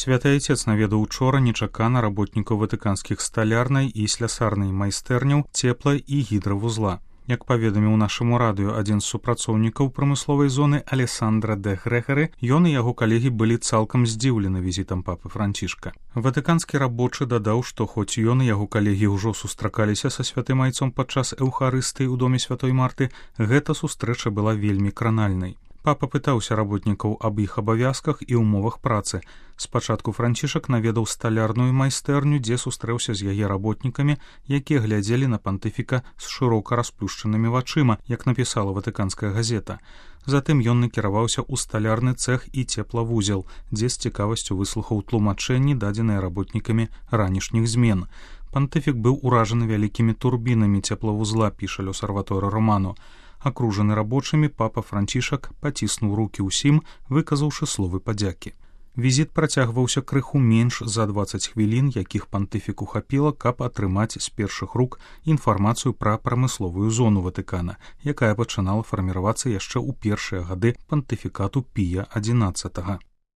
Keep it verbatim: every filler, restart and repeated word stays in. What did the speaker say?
Святы Айцец наведаў учора нечакана работнікаў ватыканскіх сталярнай і слясарнай майстэрняў, цепла і гідравузла. Як паведаміў нашаму радыё адзін з супрацоўнікаў прамысловай зоны Алессандра де Грэхары, ён і яго калегі былі цалкам здзіўлены візітам папы Францішка. Ватыканскі рабочы дадаў, што хоць ён і яго калегі ўжо сустракаліся са святым айцом падчас эўхарыстыі ў доме святой Марты, гэта сустрэча была вельмі кранальнай. Папа пытаўся работнікаў аб іх абавязках і ўмовах працы. Спачатку Францішак наведаў сталярную майстэрню, дзе сустрэўся з яе работнікамі, якія глядзелі на пантыфіка з шырока расплюшчанымі вачыма, як напісала ватыканская газета. Затым ён накіраваўся ў сталярны цэх і цеплавузел, дзе з цікавасцю выслухаў тлумачэнні, дадзеныя работнікамі ранішніх змен. Пантыфік быў уражаны вялікімі турбінамі цеплавузла, піша L'Osservatore Romano. Акружаны рабочымі, папа Францішак паціснуў рукі ўсім, выказаўшы словы падзякі. Візіт працягваўся крыху менш за дваццаць хвілін, якіх пантыфіку хапіла, каб атрымаць з першых рук інфармацыю пра прамысловую зону Ватыкана, якая пачынала фарміравацца яшчэ ў першыя гады пантыфікату Пія адзінаццатага.